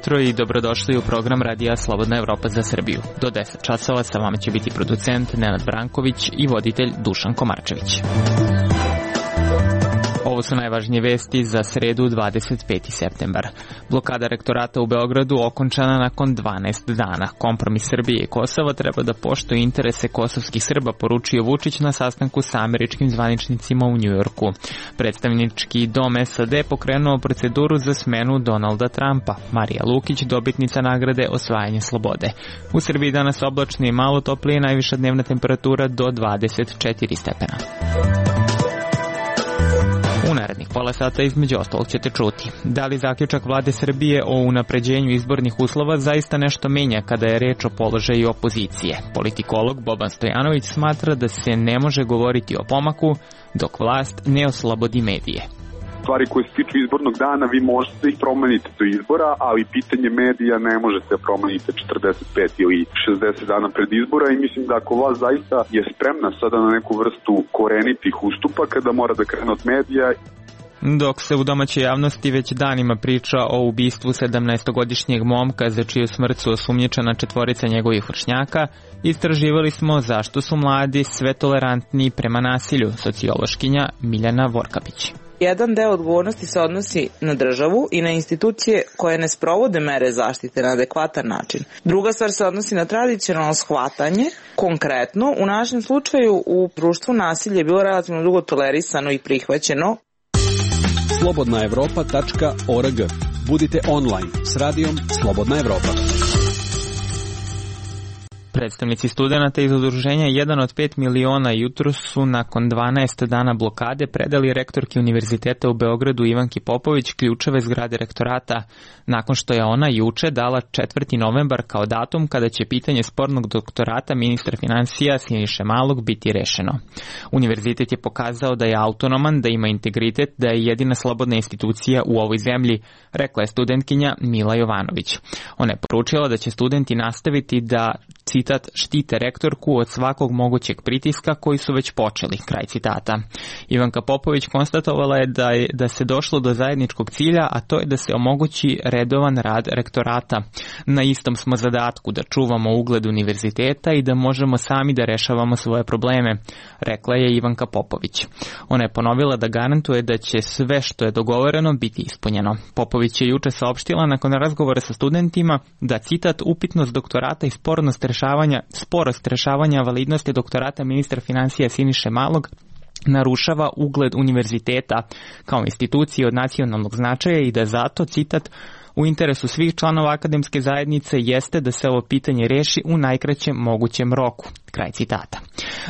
jutro i dobrodošli u program Radija Slobodna Evropa za Srbiju. Do 10 časova sa vama će biti producent Nenad Branković i voditelj Dušan Komarčević. Ovo su najvažnije vesti za sredu 25. septembar. Blokada rektorata u Beogradu okončana nakon 12 dana. Kompromis Srbije i Kosova treba da poštuje interese kosovskih Srba, poručio Vučić na sastanku sa američkim zvaničnicima u Njujorku. Predstavnički dom SAD pokrenuo proceduru za smenu Donalda Trumpa. Marija Lukić, dobitnica nagrade Osvajanje slobode. U Srbiji danas oblačno i malo toplije, najviša dnevna temperatura do 24 stepena. U narednih pola sata između ostalog ćete čuti. Da li zaključak vlade Srbije o unapređenju izbornih uslova zaista nešto menja kada je reč o položaju opozicije? Politikolog Boban Stojanović smatra da se ne može govoriti o pomaku dok vlast ne oslobodi medije. Stvari koje se tiču izbornog dana, vi možete ih promeniti do izbora, ali pitanje medija ne možete da promenite 45 ili 60 dana pred izbora i mislim da ako vlast zaista je spremna sada na neku vrstu korenitih ustupaka da mora da krene od medija. Dok se u domaćoj javnosti već danima priča o ubistvu 17-godišnjeg momka za čiju smrt su osumnjičena 4 njegovih vršnjaka, istraživali smo zašto su mladi sve tolerantniji prema nasilju, sociološkinja Miljana Vorkapić. Jedan deo odgovornosti se odnosi na državu i na institucije koje ne sprovode mere zaštite na adekvatan način. Druga stvar se odnosi na tradicionalno shvatanje. Konkretno, u našem slučaju u društvu nasilje je bilo relativno dugo tolerisano i prihvaćeno. slobodnaevropa.org. Budite online s radijom Slobodna Evropa. Predstavnici studenata iz udruženja 1 od 5 miliona jutro su nakon 12 dana blokade predali rektorki Univerziteta u Beogradu Ivanki Popović ključeve zgrade rektorata, nakon što je ona juče dala 4. novembar kao datum kada će pitanje spornog doktorata ministra finansija Siniše Malog biti rešeno. Univerzitet je pokazao da je autonoman, da ima integritet, da je jedina slobodna institucija u ovoj zemlji, rekla je studentkinja Mila Jovanović. Ona je poručila da će studenti nastaviti da, citat, štite rektorku od svakog mogućeg pritiska koji su već počeli, kraj citata. Ivanka Popović konstatovala je da se došlo do zajedničkog cilja, a to je da se omogući redovan rad rektorata. Na istom smo zadatku da čuvamo ugled univerziteta i da možemo sami da rešavamo svoje probleme, rekla je Ivanka Popović. Ona je ponovila da garantuje da će sve što je dogovoreno biti ispunjeno. Popović je juče saopštila nakon razgovora sa studentima da, citat, upitnost doktorata i sporost rešavanja validnosti doktorata ministra finansija Siniše Malog narušava ugled univerziteta kao institucije od nacionalnog značaja i da zato, citat, u interesu svih članova akademske zajednice jeste da se ovo pitanje reši u najkraćem mogućem roku, kraj citata.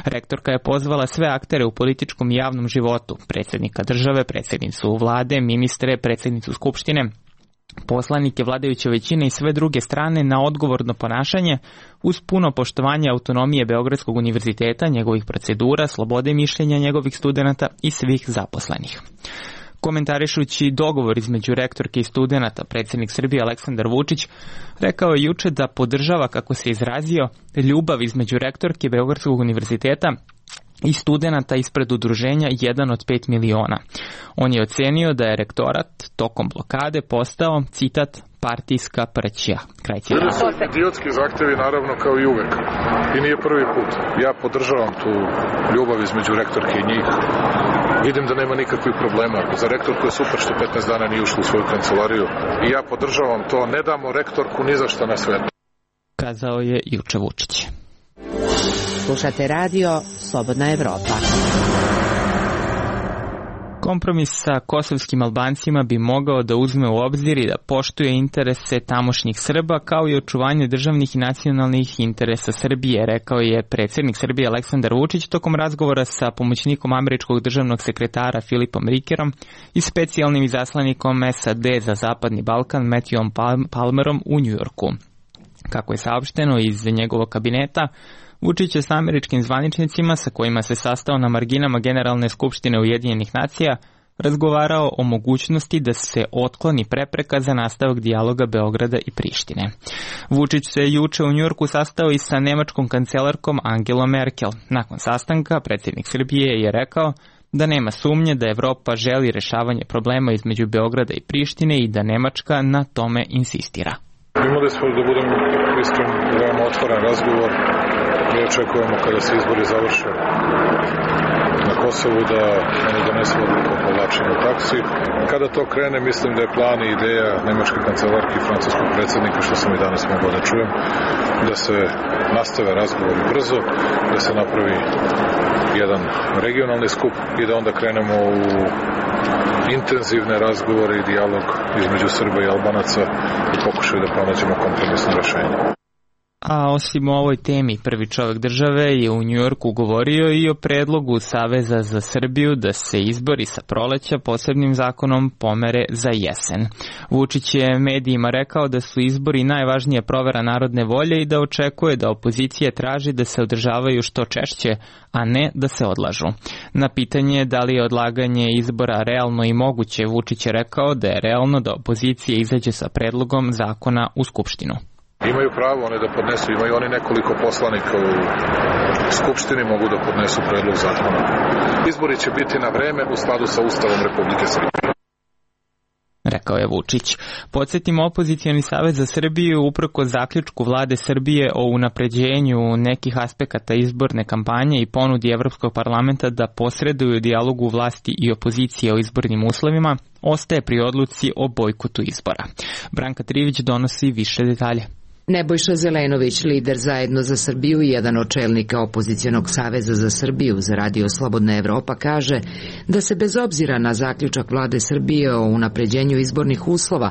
Rektorka je pozvala sve aktere u političkom i javnom životu, predsjednika države, predsjednicu vlade, ministre, predsjednicu skupštine, poslanike vladajuće većine i sve druge strane na odgovorno ponašanje uz puno poštovanje autonomije Beogradskog univerziteta, njegovih procedura, slobode mišljenja njegovih studenata i svih zaposlenih. Komentarišući dogovor između rektorke i studenata, predsjednik Srbije Aleksandar Vučić rekao je juče da podržava, kako se izrazio, ljubav između rektorke Beogradskog univerziteta i studenata ispred udruženja 1 od 5 miliona. On je ocenio da je rektorat tokom blokade postao, citat, partijska prćija. Kraj citata. Bili su idiotski zahtevi, naravno, kao i uvek. I nije prvi put. Ja podržavam tu ljubav između rektorke i njih. Vidim da nema nikakvih problema. Za rektorku je super što 15 dana nije ušla u svoju kancelariju. I ja podržavam to. Ne damo rektorku ni za šta na svetu. Kazao je juče Vučić. Slušate radio Slobodna Evropa. Kompromis sa kosovskim Albancima bi mogao da uzme u obzir i da poštuje interese tamošnjih Srba kao i očuvanje državnih i nacionalnih interesa Srbije, rekao je predsjednik Srbije Aleksandar Vučić tokom razgovora sa pomoćnikom američkog državnog sekretara Filipom Rikerom i specijalnim izaslanikom SAD za Zapadni Balkan Matthewom Palmerom u Njujorku. Kako je saopšteno iz njegovog kabineta, Vučić je s američkim zvaničnicima sa kojima se sastao na marginama Generalne skupštine Ujedinjenih nacija razgovarao o mogućnosti da se otkloni prepreka za nastavak dijaloga Beograda i Prištine. Vučić se juče u Njujorku sastao i sa nemačkom kancelarkom Angelom Merkel. Nakon sastanka predsjednik Srbije je rekao da nema sumnje da Evropa želi rešavanje problema između Beograda i Prištine i da Nemačka na tome insistira. Imali smo, da budem iskren, veoma otvoren razgovor. Mi očekujemo kada se izbori završe na Kosovu da oni donesu odluku o povlačenju taksi. Kada to krene, mislim da je plan i ideja nemačke kancelarke i francuskog predsjednika, što sam i danas mogao da čujem, da se nastave razgovori brzo, da se napravi jedan regionalni skup i da onda krenemo u intenzivne razgovore i dijalog između Srba i Albanaca i pokušaju da pronađemo kompromisno rešenje. A osim o ovoj temi, prvi čovjek države je u Njujorku govorio i o predlogu Saveza za Srbiju da se izbori sa proleća posebnim zakonom pomere za jesen. Vučić je medijima rekao da su izbori najvažnija provera narodne volje i da očekuje da opozicija traži da se održavaju što češće, a ne da se odlažu. Na pitanje da li je odlaganje izbora realno i moguće, Vučić je rekao da je realno da opozicija izađe sa predlogom zakona u Skupštinu. Imaju pravo one da podnesu, imaju oni nekoliko poslanika u Skupštini, mogu da podnesu predlog zakona. Izbori će biti na vreme u skladu sa Ustavom Republike Srbije, rekao je Vučić. Podsjetimo, opozicioni savez za Srbiju uprko zaključku vlade Srbije o unapređenju nekih aspekata izborne kampanje i ponudi Evropskog parlamenta da posreduju dijalogu vlasti i opozicije o izbornim uslovima, ostaje pri odluci o bojkotu izbora. Branka Trivić donosi više detalje. Nebojša Zelenović, lider Zajedno za Srbiju i jedan od čelnika opozicionog saveza za Srbiju za Radio Slobodna Evropa, kaže da se bez obzira na zaključak vlade Srbije o unapređenju izbornih uslova,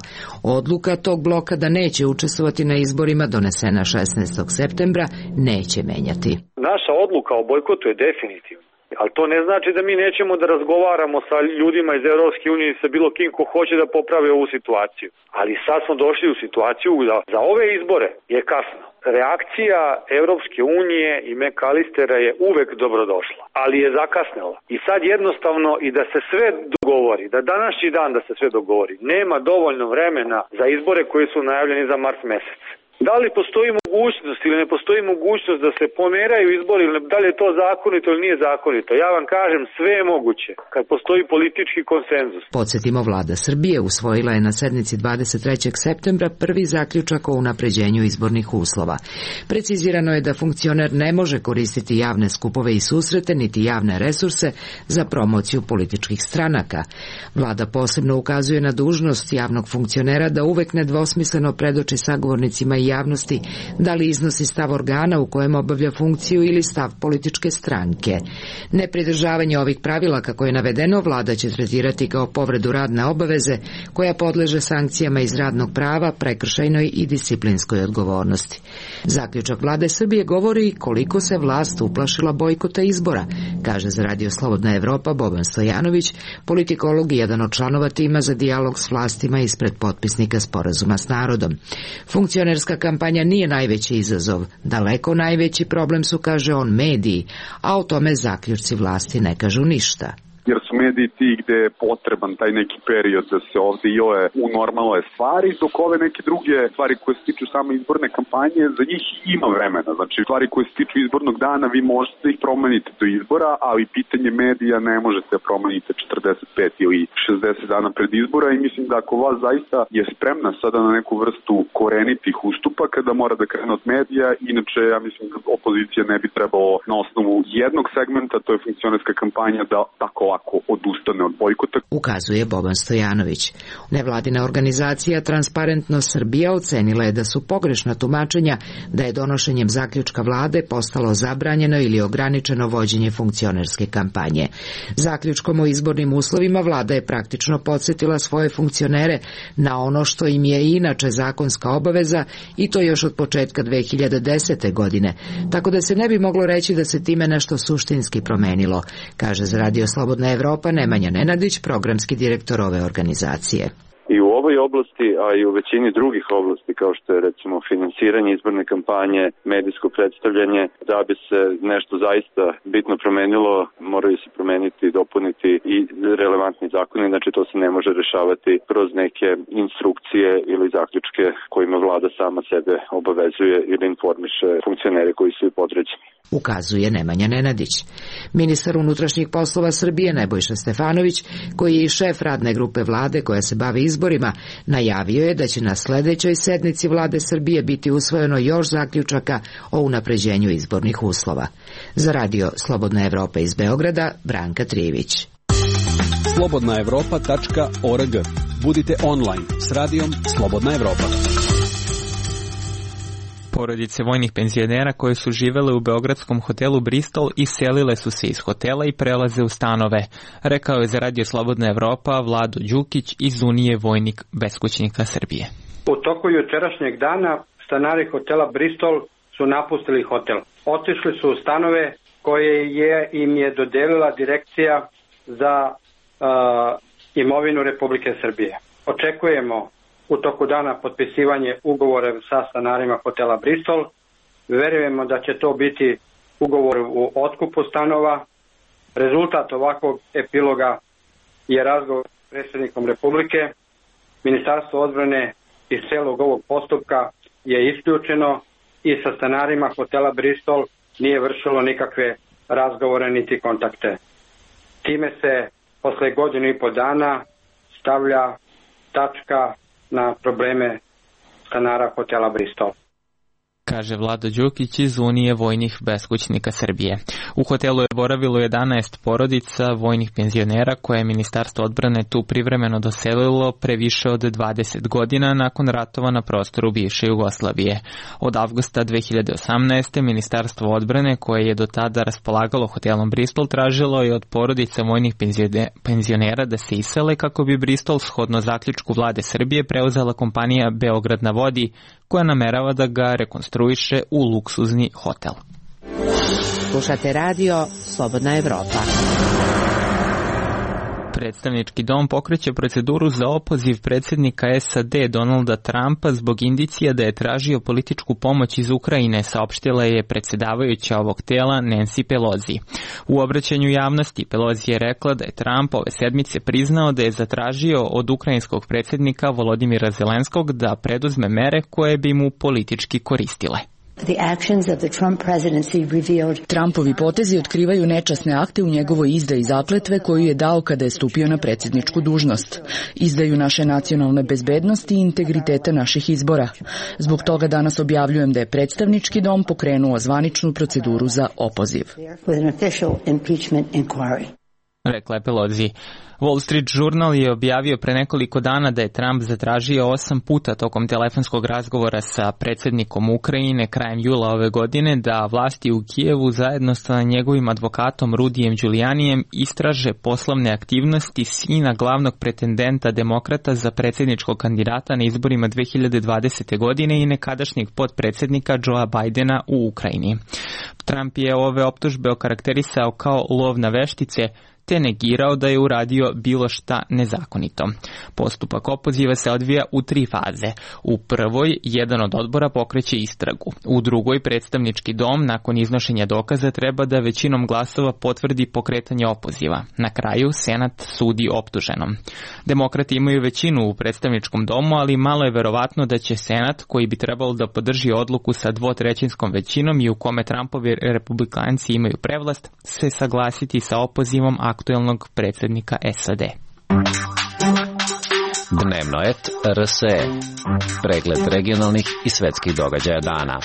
odluka tog bloka da neće učestvovati na izborima donesena 16. septembra neće menjati. Naša odluka o bojkotu je definitivna. Ali to ne znači da mi nećemo da razgovaramo sa ljudima iz Evropske unije i sa bilo kim ko hoće da popravi ovu situaciju. Ali sad smo došli u situaciju da za ove izbore je kasno. Reakcija Evropske unije i McAllistera je uvek dobrodošla, ali je zakasnela. I sad jednostavno i da se sve dogovori, da današnji dan da se sve dogovori, nema dovoljno vremena za izbore koji su najavljeni za mart mesec. Da li postoji mogućnost ili ne postoji mogućnost da se pomeraju izbori, da li je to zakonito ili nije zakonito? Ja vam kažem, sve je moguće kad postoji politički konsenzus. Podsjetimo, vlada Srbije usvojila je na sednici 23. septembra prvi zaključak o unapređenju izbornih uslova. Precizirano je da funkcioner ne može koristiti javne skupove i susrete niti javne resurse za promociju političkih stranaka. Vlada posebno ukazuje na dužnost javnog funkcionera da uvek nedvosmisleno predoči sagovornicima i javnosti da li iznosi stav organa u kojem obavlja funkciju ili stav političke stranke. Nepridržavanje ovih pravila, kako je navedeno, vlada će tretirati kao povredu radne obaveze koja podleže sankcijama iz radnog prava, prekršajnoj i disciplinskoj odgovornosti. Zaključak vlade Srbije govori koliko se vlast uplašila bojkota izbora, kaže za Radio Slobodna Evropa Boban Stojanović, politikolog i jedan od članova tima za dijalog s vlastima ispred potpisnika sporazuma s narodom. Funkcionerska kampanja nije najveći izazov. Daleko najveći problem su, kaže on, mediji, a o tome zaključci vlasti ne kažu ništa. Jer su mediji ti gde je potreban taj neki period da se ovde i ove u normalne stvari, dok ove neke druge stvari koje se tiču same izborne kampanje, za njih ima vremena. Znači, stvari koje se tiču izbornog dana, vi možete da ih promenite do izbora, ali pitanje medija ne možete da promenite 45 ili 60 dana pred izbora i mislim da ako vas zaista je spremna sada na neku vrstu korenitih ustupaka da mora da krene od medija, inače ja mislim da opozicija ne bi trebalo na osnovu jednog segmenta, to je funkcionerska kampanja, da tako ako odustane od bojkota. Ukazuje Boban Stojanović. Nevladina organizacija Transparentnost Srbija ocenila je da su pogrešna tumačenja da je donošenjem zaključka vlade postalo zabranjeno ili ograničeno vođenje funkcionerske kampanje. Zaključkom o izbornim uslovima vlada je praktično podsjetila svoje funkcionere na ono što im je inače zakonska obaveza i to još od početka 2010. godine, tako da se ne bi moglo reći da se time nešto suštinski promenilo, kaže za Radio Slobodna Evropa Nemanja Nenadić, programski direktor ove organizacije. I u ovoj oblasti, a i u većini drugih oblasti, kao što je recimo finansiranje izborne kampanje, medijsko predstavljanje, da bi se nešto zaista bitno promenilo, moraju se promeniti i dopuniti i relevantni zakoni, znači to se ne može rešavati kroz neke instrukcije ili zaključke kojima vlada sama sebe obavezuje ili informiše funkcionere koji su podređeni. Ukazuje Nemanja Nenadić. Ministar unutrašnjih poslova Srbije Nebojša Stefanović, koji je i šef radne grupe vlade koja se bavi izborima, najavio je da će na sledećoj sednici vlade Srbije biti usvojeno još zaključaka o unapređenju izbornih uslova. Za radio Slobodna Evropa iz Beograda, Branka Trijević. slobodnaevropa.org. Budite online s radijom Slobodna Evropa. Porodice vojnih penzionera koje su živele u beogradskom hotelu Bristol iselile su se iz hotela i prelaze u stanove, rekao je za radio Slobodna Evropa Vlado Đukić iz Unije vojnih beskućnika Srbije. U toku jučerašnjeg dana stanari hotela Bristol su napustili hotel. Otišli su u stanove koje im je dodelila Direkcija za imovinu Republike Srbije. Očekujemo u toku dana potpisivanje ugovora sa stanarima hotela Bristol. Verujemo da će to biti ugovor u otkupu stanova. Rezultat ovakvog epiloga je razgovor s predsjednikom Republike. Ministarstvo odbrane iz celog ovog postupka je isključeno i sa stanarima hotela Bristol nije vršilo nikakve razgovore niti kontakte. Time se posle godinu i po dana stavlja tačka na probleme stanara hotela Bristol. Kaže Vlado Đukić iz Unije vojnih beskućnika Srbije. U hotelu je boravilo 11 porodica vojnih penzionera koje je Ministarstvo odbrane tu privremeno doselilo pre više od 20 godina nakon ratova na prostoru bivše Jugoslavije. Od avgusta 2018. Ministarstvo odbrane, koje je do tada raspolagalo hotelom Bristol, tražilo je od porodica vojnih penzionera da se isele kako bi Bristol shodno zaključku vlade Srbije preuzela kompanija Beograd na vodi, koja namerava da ga rekonstruiše u luksuzni hotel. Slušate radio Slobodna Evropa. Predstavnički dom pokreće proceduru za opoziv predsjednika SAD Donalda Trumpa zbog indicija da je tražio političku pomoć iz Ukrajine, saopštila je predsjedavajuća ovog tela Nancy Pelosi. U obraćanju javnosti Pelosi je rekla da je Trump ove sedmice priznao da je zatražio od ukrajinskog predsjednika Volodimira Zelenskog da preduzme mere koje bi mu politički koristile. Trumpovi potezi otkrivaju nečasne akte u njegovoj izdaji zakletve koju je dao kada je stupio na predsjedničku dužnost. Izdaju naše nacionalne bezbednosti i integriteta naših izbora. Zbog toga danas objavljujem da je predstavnički dom pokrenuo zvaničnu proceduru za opoziv. Rekla je Pelosi. Wall Street Journal je objavio pre nekoliko dana da je Trump zatražio 8 puta tokom telefonskog razgovora sa predsjednikom Ukrajine krajem jula ove godine da vlasti u Kijevu zajedno sa njegovim advokatom Rudijem Giulianijem istraže poslovne aktivnosti sina glavnog pretendenta demokrata za predsjedničkog kandidata na izborima 2020. godine i nekadašnjeg potpredsjednika Joea Bidena u Ukrajini. Trump je ove optužbe okarakterisao kao lov na veštice, te negirao da je uradio bilo šta nezakonito. Postupak opoziva se odvija u 3 faze. U prvoj, jedan od odbora pokreće istragu. U drugoj, predstavnički dom, nakon iznošenja dokaza, treba da većinom glasova potvrdi pokretanje opoziva. Na kraju, Senat sudi optuženom. Demokrati imaju većinu u predstavničkom domu, ali malo je verovatno da će Senat, koji bi trebalo da podrži odluku sa 2/3 većinom i u kome Trumpovi republikanci imaju prevlast, se saglasiti sa opozivom aktuelnog predsjednika SAD. Dnevno et RSE. Pregled regionalnih i svetskih događaja dana.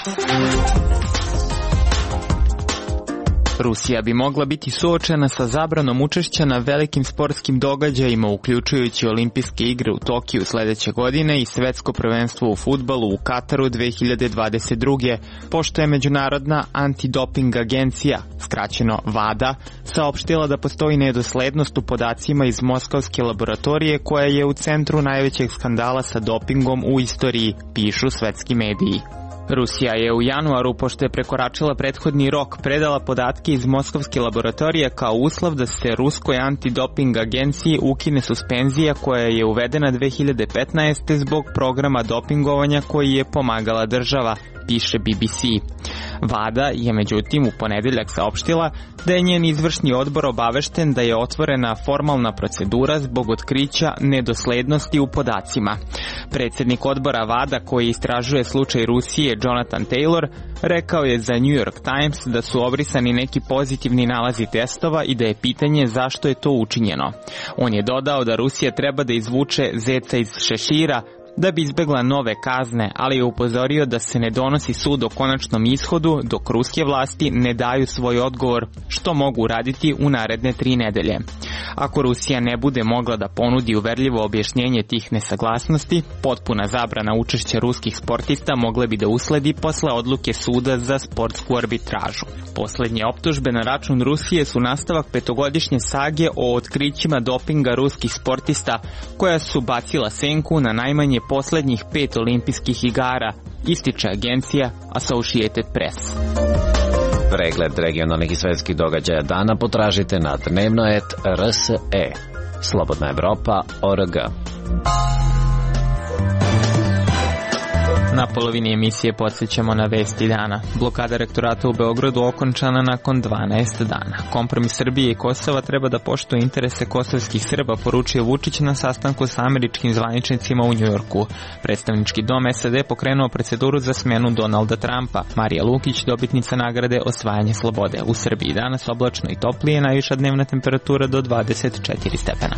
Rusija bi mogla biti suočena sa zabranom učešća na velikim sportskim događajima, uključujući olimpijske igre u Tokiju sledeće godine i svetsko prvenstvo u fudbalu u Kataru 2022. pošto je Međunarodna antidoping agencija, skraćeno WADA, saopštila da postoji nedoslednost u podacima iz moskovske laboratorije koja je u centru najvećeg skandala sa dopingom u istoriji, pišu svetski mediji. Rusija je u januaru, pošto je prekoračila prethodni rok, predala podatke iz moskovske laboratorije kao uslov da se ruskoj antidoping agenciji ukine suspenzija koja je uvedena 2015. zbog programa dopingovanja koji je pomagala država, piše BBC. WADA je međutim u ponedeljak saopštila da je njen izvršni odbor obavešten da je otvorena formalna procedura zbog otkrića nedoslednosti u podacima. Predsjednik odbora WADA koji istražuje slučaj Rusije, Jonathan Taylor, rekao je za New York Times da su obrisani neki pozitivni nalazi testova i da je pitanje zašto je to učinjeno. On je dodao da Rusija treba da izvuče zeca iz šešira da bi izbegla nove kazne, ali je upozorio da se ne donosi sud o konačnom ishodu dok ruske vlasti ne daju svoj odgovor, što mogu uraditi u naredne 3 nedelje. Ako Rusija ne bude mogla da ponudi uverljivo objašnjenje tih nesaglasnosti, potpuna zabrana učešća ruskih sportista mogle bi da usledi posle odluke suda za sportsku arbitražu. Poslednje optužbe na račun Rusije su nastavak 5-godišnje sage o otkrićima dopinga ruskih sportista koja su bacila senku na najmanje poslednjih 5 olimpijskih igara, ističe agencija Associated Press. Pregled regionalnih i svetskih događaja dana potražite na dnevno.rs.e. Slobodna Evropa.org. Na polovini emisije podsjećamo na vesti dana. Blokada rektorata u Beogradu okončana nakon 12 dana. Kompromis Srbije i Kosova treba da poštuje interese kosovskih Srba, poručio Vučić na sastanku sa američkim zvaničnicima u Njujorku. Predstavnički dom SAD pokrenuo proceduru za smenu Donalda Trumpa. Marija Lukić, dobitnica nagrade Osvajanje slobode. U Srbiji danas oblačno i toplije, najviša dnevna temperatura do 24 stepena.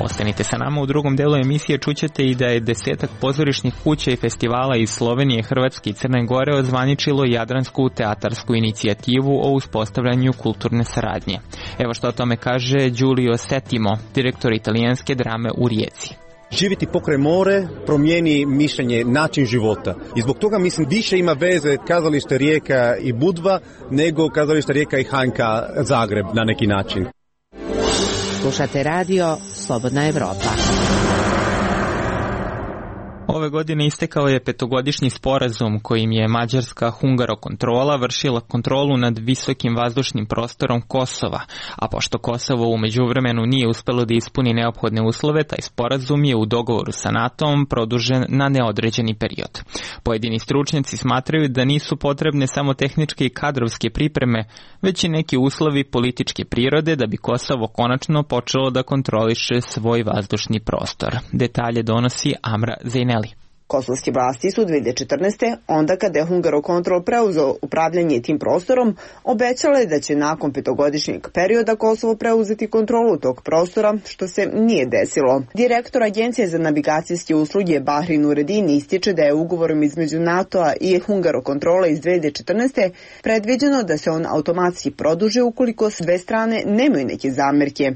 Ostanite sa nama, u drugom delu emisije čućete i da je 10 pozorišnih kuća i festivala iz Slovenije, Hrvatske i Crne Gore ozvaničilo Jadransku teatarsku inicijativu o uspostavljanju kulturne saradnje. Evo što o tome kaže Giulio Settimo, direktor italijanske drame u Rijeci. Živjeti pokraj more promijeni mišljenje, način života. I zbog toga mislim više ima veze kazalište Rijeka i Budva nego kazalište Rijeka i HNK Zagreb na neki način. Slušate radio Slobodna Evropa. Ove godine istekao je 5-godišnji sporazum kojim je mađarska Hungarokontrola vršila kontrolu nad visokim vazdušnim prostorom Kosova, a pošto Kosovo u međuvremenu nije uspelo da ispuni neophodne uslove, taj sporazum je u dogovoru sa NATO-om produžen na neodređeni period. Pojedini stručnjaci smatraju da nisu potrebne samo tehničke i kadrovske pripreme, već i neki uslovi političke prirode da bi Kosovo konačno počelo da kontroliše svoj vazdušni prostor. Detalje donosi Amra Zejneli. Kosovske vlasti su 2014. onda kada je Hungarokontrol preuzeo upravljanje tim prostorom, obećale da će nakon 5-godišnjeg perioda Kosovo preuzeti kontrolu tog prostora, što se nije desilo. Direktor Agencije za navigacijske usluge Bahri Nureddin ističe da je ugovorom između NATO-a i Hungarokontrola iz 2014. predviđeno da se on automatski produži ukoliko sve strane nemaju neke zamerke.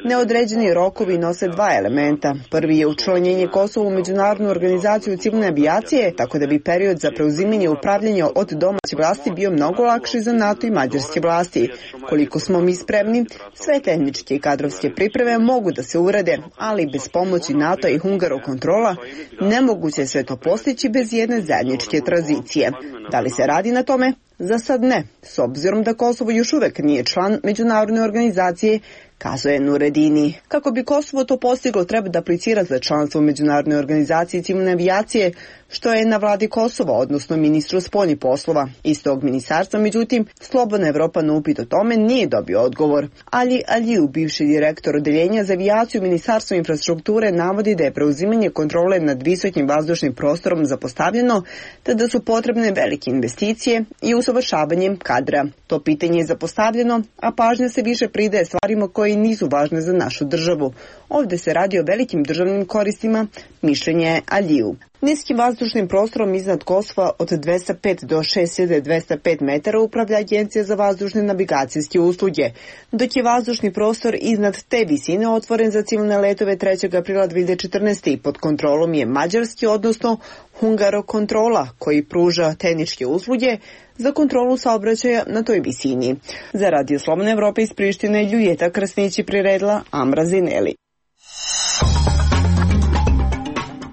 Neodređeni rokovi nose 2 elementa. Prvi je učlanjenje Kosova u Međunarodnu organizaciju civilne avijacije, tako da bi period za preuzimanje upravljanja od domaće vlasti bio mnogo lakši za NATO i mađarske vlasti. Koliko smo mi spremni, sve tehničke i kadrovske pripreme mogu da se urade, ali bez pomoći NATO i Hungarokontrola nemoguće je sve to postići bez jedne zajedničke tranzicije. Da li se radi na tome? Za sad ne, s obzirom da Kosovo još uvek nije član međunarodne organizacije, kazuje Nureddini. Kako bi Kosovo to postiglo, treba da aplicira za članstvo u Međunarodnoj organizaciji civilne avijacije, što je na vladi Kosova, odnosno ministru spoljnih poslova. Iz tog ministarstva, međutim, Slobodna Evropa na upit o tome nije dobio odgovor. Ali Aliju, bivši direktor odeljenja za avijaciju Ministarstva infrastrukture, navodi da je preuzimanje kontrole nad visokim vazdušnim prostorom zapostavljeno, te da su potrebne velike investicije i usavršavanje kadra. To pitanje je zapostavljeno, a pažnja se više pridaje stvarima koje nisu važne za našu državu. Ovde se radi o velikim državnim koristima, mišljenje je Aliju. Niskim vazdušnim prostorom iznad Kosova od 205 do 6205 metara upravlja Agencija za vazdušne navigacijske usluge, dok je vazdušni prostor iznad te visine otvoren za civilne letove 3. aprila 2014. i pod kontrolom je mađarski, odnosno Hungarokontrola, koji pruža tehničke usluge za kontrolu saobraćaja na toj visini. Za Radio Slobodna Evropa iz Prištine, Ljujeta Krasnić priredila Amra Zineli.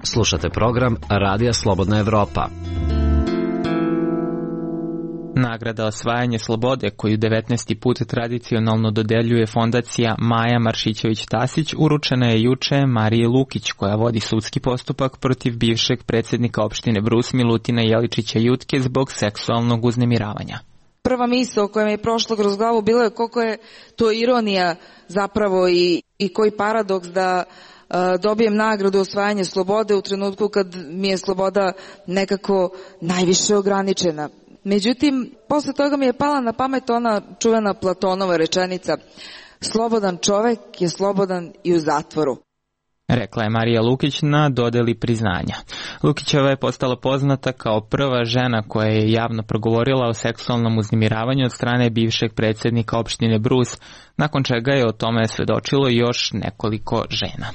Slušate program Radija Slobodna Evropa. Nagrada osvajanje slobode, koju 19. put tradicionalno dodeljuje fondacija Maja Maršićević-Tasić, uručena je juče Mariji Lukić, koja vodi sudski postupak protiv bivšeg predsjednika opštine Brus Milutina Jeličića Jutke zbog seksualnog uznemiravanja. Prva misao koja mi je prošla kroz glavu bila je koliko je to ironija zapravo i koji paradoks da dobijem nagradu osvajanje slobode u trenutku kad mi je sloboda nekako najviše ograničena. Međutim, posle toga mi je pala na pamet ona čuvena Platonova rečenica: slobodan čovek je slobodan i u zatvoru. Rekla je Marija Lukić na dodeli priznanja. Lukićeva je postala poznata kao prva žena koja je javno progovorila o seksualnom uznemiravanju od strane bivšeg predsjednika opštine Brus, nakon čega je o tome svedočilo još nekoliko žena.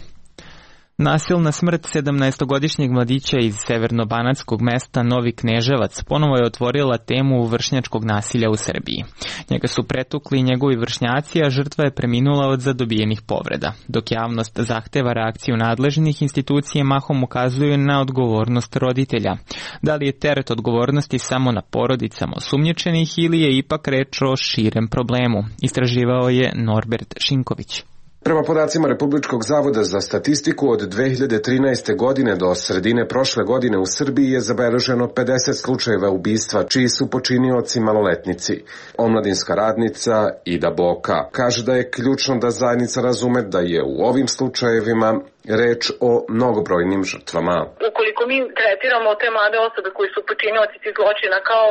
Nasilna smrt 17-godišnjeg mladića iz severnobanatskog mesta Novi Kneževac ponovo je otvorila temu vršnjačkog nasilja u Srbiji. Njega su pretukli njegovi vršnjaci, a žrtva je preminula od zadobijenih povreda. Dok javnost zahteva reakciju nadležnih, institucije mahom ukazuju na odgovornost roditelja. Da li je teret odgovornosti samo na porodicama osumnjičenih ili je ipak reč o širem problemu? Istraživao je Norbert Šinković. Prema podacima Republičkog zavoda za statistiku, od 2013. godine do sredine prošle godine u Srbiji je zabeleženo 50 slučajeva ubistva, čiji su počinioci maloletnici. Omladinska radnica Ida Boka kaže da je ključno da zajednica razume da je u ovim slučajevima reč o mnogobrojnim žrtvama. Ukoliko mi tretiramo te mlade osobe koji su počinioci tih zločina kao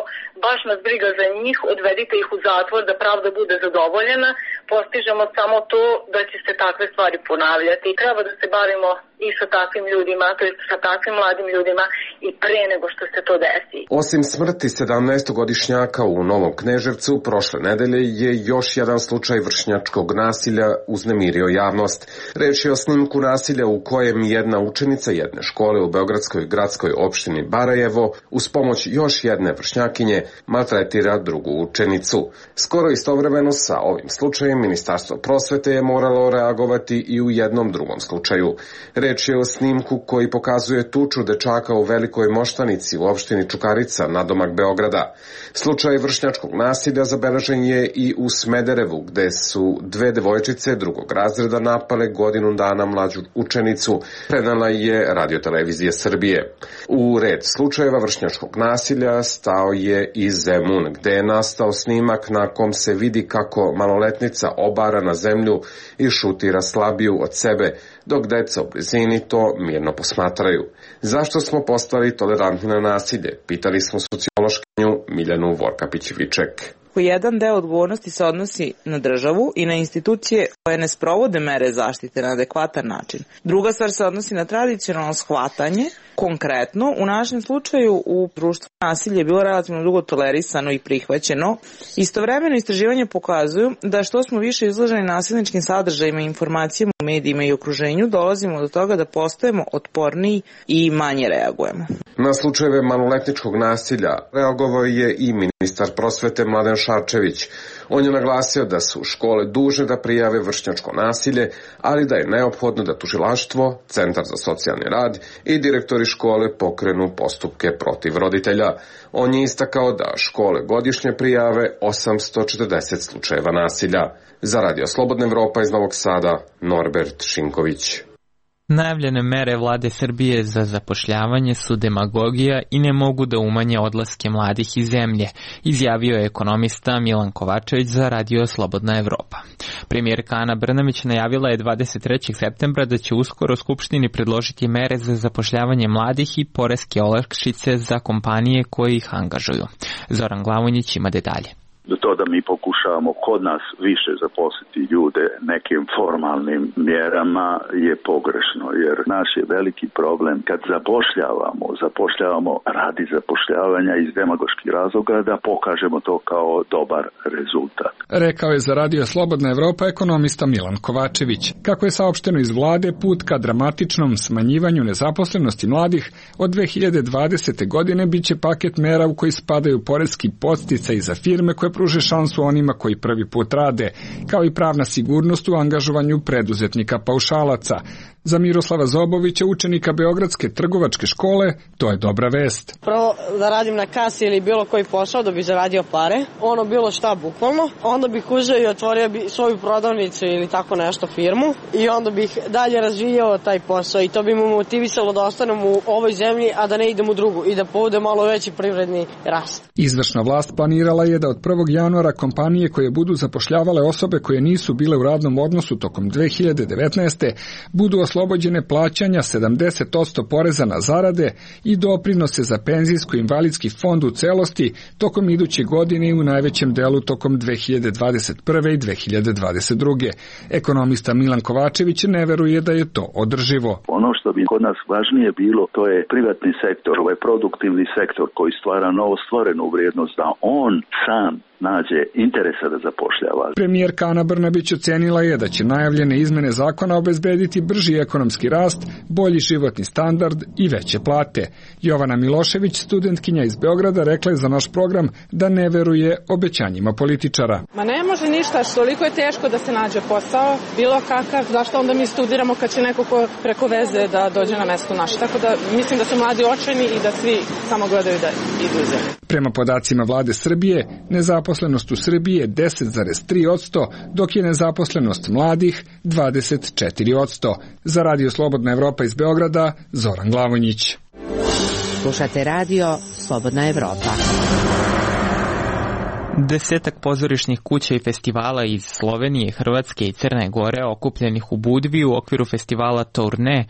baš nas briga za njih, odvedite ih u zatvor da pravda bude zadovoljena, postižemo samo to da će se takve stvari ponavljati. Treba da se bavimo i sa takvim ljudima, to je sa takvim mladim ljudima i pre nego što se to desi. Osim smrti 17-godišnjaka u Novom Kneževcu, prošle nedelje je još jedan slučaj vršnjačkog nasilja uznemirio javnost. Reč je o snimku nasilja u kojem jedna učenica jedne škole u beogradskoj gradskoj opštini Barajevo uz pomoć još jedne vršnjakinje maltretira drugu učenicu. Skoro istovremeno sa ovim slučajem Ministarstvo prosvete je moralo reagovati i u jednom drugom slučaju. Reč je o snimku koji pokazuje tuču dečaka u Velikoj Moštanici u opštini Čukarica, nadomak Beograda. Slučaj vršnjačkog nasilja zabeležen je i u Smederevu, gde su dve devojčice drugog razreda napale godinu dana mlađu učenicu, prenala je Radiotelevizija Srbije. U red slučajeva vršnjačkog nasilja stao je i Zemun, gde je nastao snimak na kom se vidi kako maloletnica obara na zemlju i šutira slabiju od sebe, dok deca u blizini to mirno posmatraju. Zašto smo postali tolerantni na nasilje? Pitali smo sociološkinju Miljanu Vorkapić-Viček. Jedan deo odgovornosti se odnosi na državu i na institucije koje ne sprovode mere zaštite na adekvatan način. Druga stvar se odnosi na tradicionalno shvatanje. Konkretno, u našem slučaju u društvu nasilje je bilo relativno dugo tolerisano i prihvaćeno. Istovremeno istraživanje pokazuju da što smo više izloženi nasilničkim sadržajima i informacijama u medijima i okruženju, dolazimo do toga da postajemo otporniji i manje reagujemo. Na slučajeve maloletničkog nasilja reagovao je i ministar prosvete Mladen Šarčević. On je naglasio da su škole dužne da prijave vršnjačko nasilje, ali da je neophodno da tužilaštvo, Centar za socijalni rad i direktori škole pokrenu postupke protiv roditelja. On je istakao da škole godišnje prijave 840 slučajeva nasilja. Za Radio Slobodna Evropa iz Novog Sada, Norbert Šinković. Najavljene mere vlade Srbije za zapošljavanje su demagogija i ne mogu da umanje odlaske mladih iz zemlje, izjavio je ekonomista Milan Kovačević za Radio Slobodna Evropa. Premijerka Ana Brnabić najavila je 23. septembra da će uskoro Skupštini predložiti mere za zapošljavanje mladih i poreske olakšice za kompanije koje ih angažuju. Zoran Glavonjić ima detalje. To da mi pokušavamo kod nas više zaposliti ljude nekim formalnim mjerama je pogrešno, jer naš je veliki problem kad zapošljavamo radi zapošljavanja iz demagoških razloga da pokažemo to kao dobar rezultat. Rekao je za Radio Slobodna Evropa ekonomista Milan Kovačević. Kako je saopšteno iz vlade, put ka dramatičnom smanjivanju nezaposlenosti mladih od 2020. godine biće paket mera u koji spadaju poreski podsticaji za firme koje pruže šansu onima koji prvi put rade, kao i pravna sigurnost u angažovanju preduzetnika paušalaca. Za Miroslava Zobovića, učenika Beogradske trgovačke škole, to je dobra vest. Prvo da radim na kasi ili bilo koji posao da bi zaradio pare, ono bilo šta bukvalno, onda bih uzeo i otvorio bi svoju prodavnicu ili tako nešto firmu i onda bih dalje razvijao taj posao i to bi mu motivisalo da ostanem u ovoj zemlji, a da ne idem u drugu i da povode malo veći privredni rast. Izvršna vlast planirala je da od 1. januara kompanije koje budu zapošljavale osobe koje nisu bile u radnom odnosu tokom 2019. budu oslobođene plaćanja 70% poreza na zarade i doprinose za penzijsko-invalidski fond u celosti tokom iduće godine i u najvećem delu tokom 2021. i 2022. Ekonomista Milan Kovačević ne veruje da je to održivo. Ono što bi kod nas važnije bilo, to je privatni sektor, ovaj produktivni sektor koji stvara novostvorenu vrijednost, da on sam nađe interesa da zapošljava. Premijerka Ana Brnabić ocenila je da će najavljene izmene zakona obezbediti brži ekonomski rast, bolji životni standard i veće plate. Jovana Milošević, studentkinja iz Beograda, rekla je za naš program da ne veruje obećanjima političara. Ma ne može ništa, toliko je teško da se nađe posao, bilo kakav, zašto onda mi studiramo kad će neko ko preko veze da dođe na mesto naše. Tako da mislim da su mladi očajni i da svi samo gledaju da idu u zemlju. Prema podacima vlade Srbije, nezaposlenost u Srbiji je 10,3%, dok je nezaposlenost mladih 24%. Za Radio Slobodna Evropa iz Beograda, Zoran Glavonjić. Slušate radio Slobodna Evropa. Desetak pozorišnih kuća i festivala iz Slovenije, Hrvatske i Crne Gore okupljenih u Budvi u okviru festivala Tourne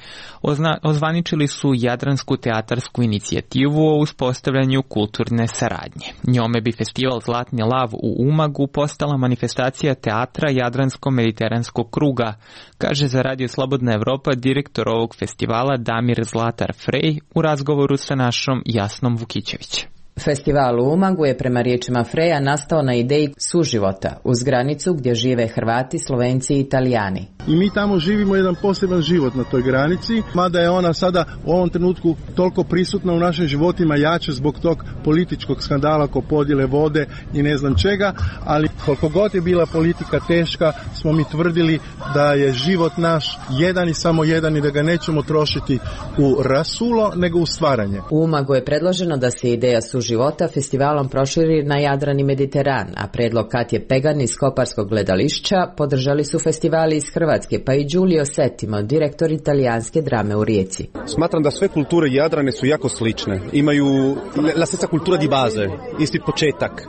ozvaničili su Jadransku teatarsku inicijativu o uspostavljanju kulturne saradnje. Njome bi festival Zlatni lav u Umagu postala manifestacija teatra Jadransko-mediteranskog kruga, kaže za Radio Slobodna Evropa direktor ovog festivala Damir Zlatar Frej u razgovoru sa našom Jasnom Vukićević. Festival u Umagu je prema riječima Freja nastao na ideji suživota uz granicu gdje žive Hrvati, Slovenci i Italijani. I mi tamo živimo jedan poseban život na toj granici, mada je ona sada u ovom trenutku toliko prisutna u našim životima jače zbog tog političkog skandala oko podjele vode i ne znam čega, ali koliko god je bila politika teška, smo mi tvrdili da je život naš jedan i samo jedan i da ga nećemo trošiti u rasulo, nego u stvaranje. U Umagu je predloženo da se ideja suživota festivalom proširi na Jadran i Mediteran, a predlog Katje Pegan iz Koparskog gledališća podržali su festivali iz Hrvatske, pa i Giulio Settimo, direktor italijanske drame u Rijeci. Smatram da sve kulture Jadrane su jako slične. Imaju la stessa cultura di base, isti početak.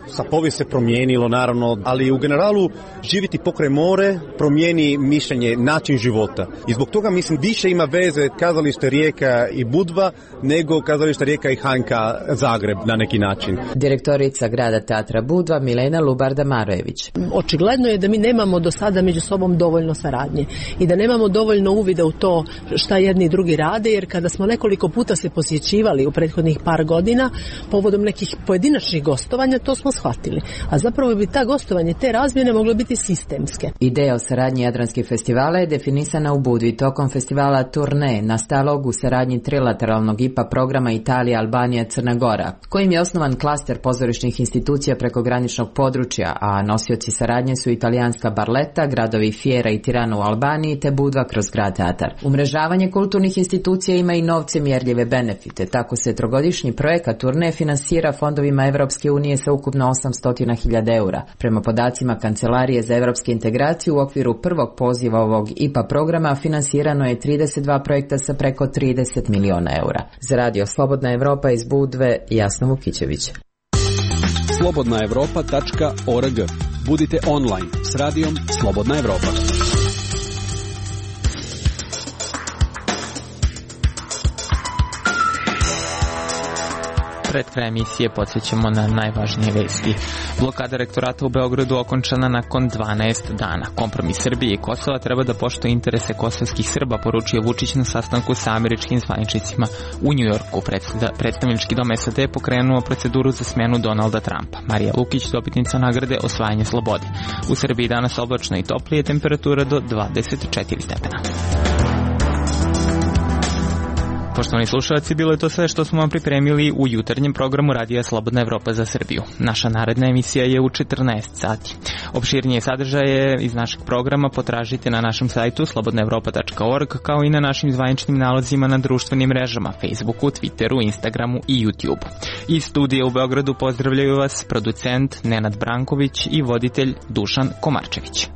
Sa povijest se promijenilo naravno, ali u generalu živjeti pokraj more promijeni mišljenje, način života. I zbog toga mislim više ima veze kazalište Rijeka i Budva nego kazalište Rijeka i Hanka Zagreb na neki način. Direktorica grada teatra Budva Milena Lubarda-Marojević. Očigledno je da mi nemamo do sada među sobom dovoljno saradnje i da nemamo dovoljno uvida u to šta jedni i drugi rade, jer kada smo nekoliko puta se posjećivali u prethodnih par godina povodom nekih pojedinačnih gostovanja, to smo shvatili. A zapravo bi ta gostovanje, te razmjene mogle biti sistemske. Ideja o saradnji jadranskih festivala je definisana u Budvi tokom festivala Tourne, nastalog u saradnji trilateralnog IPA programa Italija, Albanija, Crna Gora, kojim je osnovan klaster pozorišnih institucija preko graničnog područja, a nosioci saradnje su italijanska Barletta, gradovi Fiera i Tirana u Albaniji te Budva kroz grad teatar. Umrežavanje kulturnih institucija ima i novce mjerljive benefite, tako se trogodišnji projekat Tourne finansira fondovima Evropske unije sa ukupno 800.000 eura. Prema podacima Kancelarije za evropske integracije u okviru prvog poziva ovog IPA programa finansirano je 32 projekta sa preko 30 miliona eura. Za Radio Slobodna Evropa iz Budve, Jasna Vukićević. slobodnaevropa.org. Budite online s radijom Slobodna Evropa. Pred kraj emisije podsjećamo na najvažnije vesti. Blokada rektorata u Beogradu okončana nakon 12 dana. Kompromis Srbije i Kosova treba da poštuje interese kosovskih Srba, poručio Vučić na sastanku sa američkim zvaničnicima u Njujorku. Predstavnički dom SAD je pokrenuo proceduru za smenu Donalda Trumpa. Marija Lukić, dobitnica nagrade Osvajanje slobode. U Srbiji danas oblačno i toplije, temperatura do 24 stepena. Poštovani slušalci, bilo je to sve što smo vam pripremili u jutarnjem programu Radija Slobodna Evropa za Srbiju. Naša naredna emisija je u 14 sati. Opširnije sadržaje iz našeg programa potražite na našem sajtu slobodnaevropa.org, kao i na našim zvaničnim nalozima na društvenim mrežama Facebooku, Twitteru, Instagramu i YouTubeu. Iz studija u Beogradu pozdravljaju vas producent Nenad Branković i voditelj Dušan Komarčević.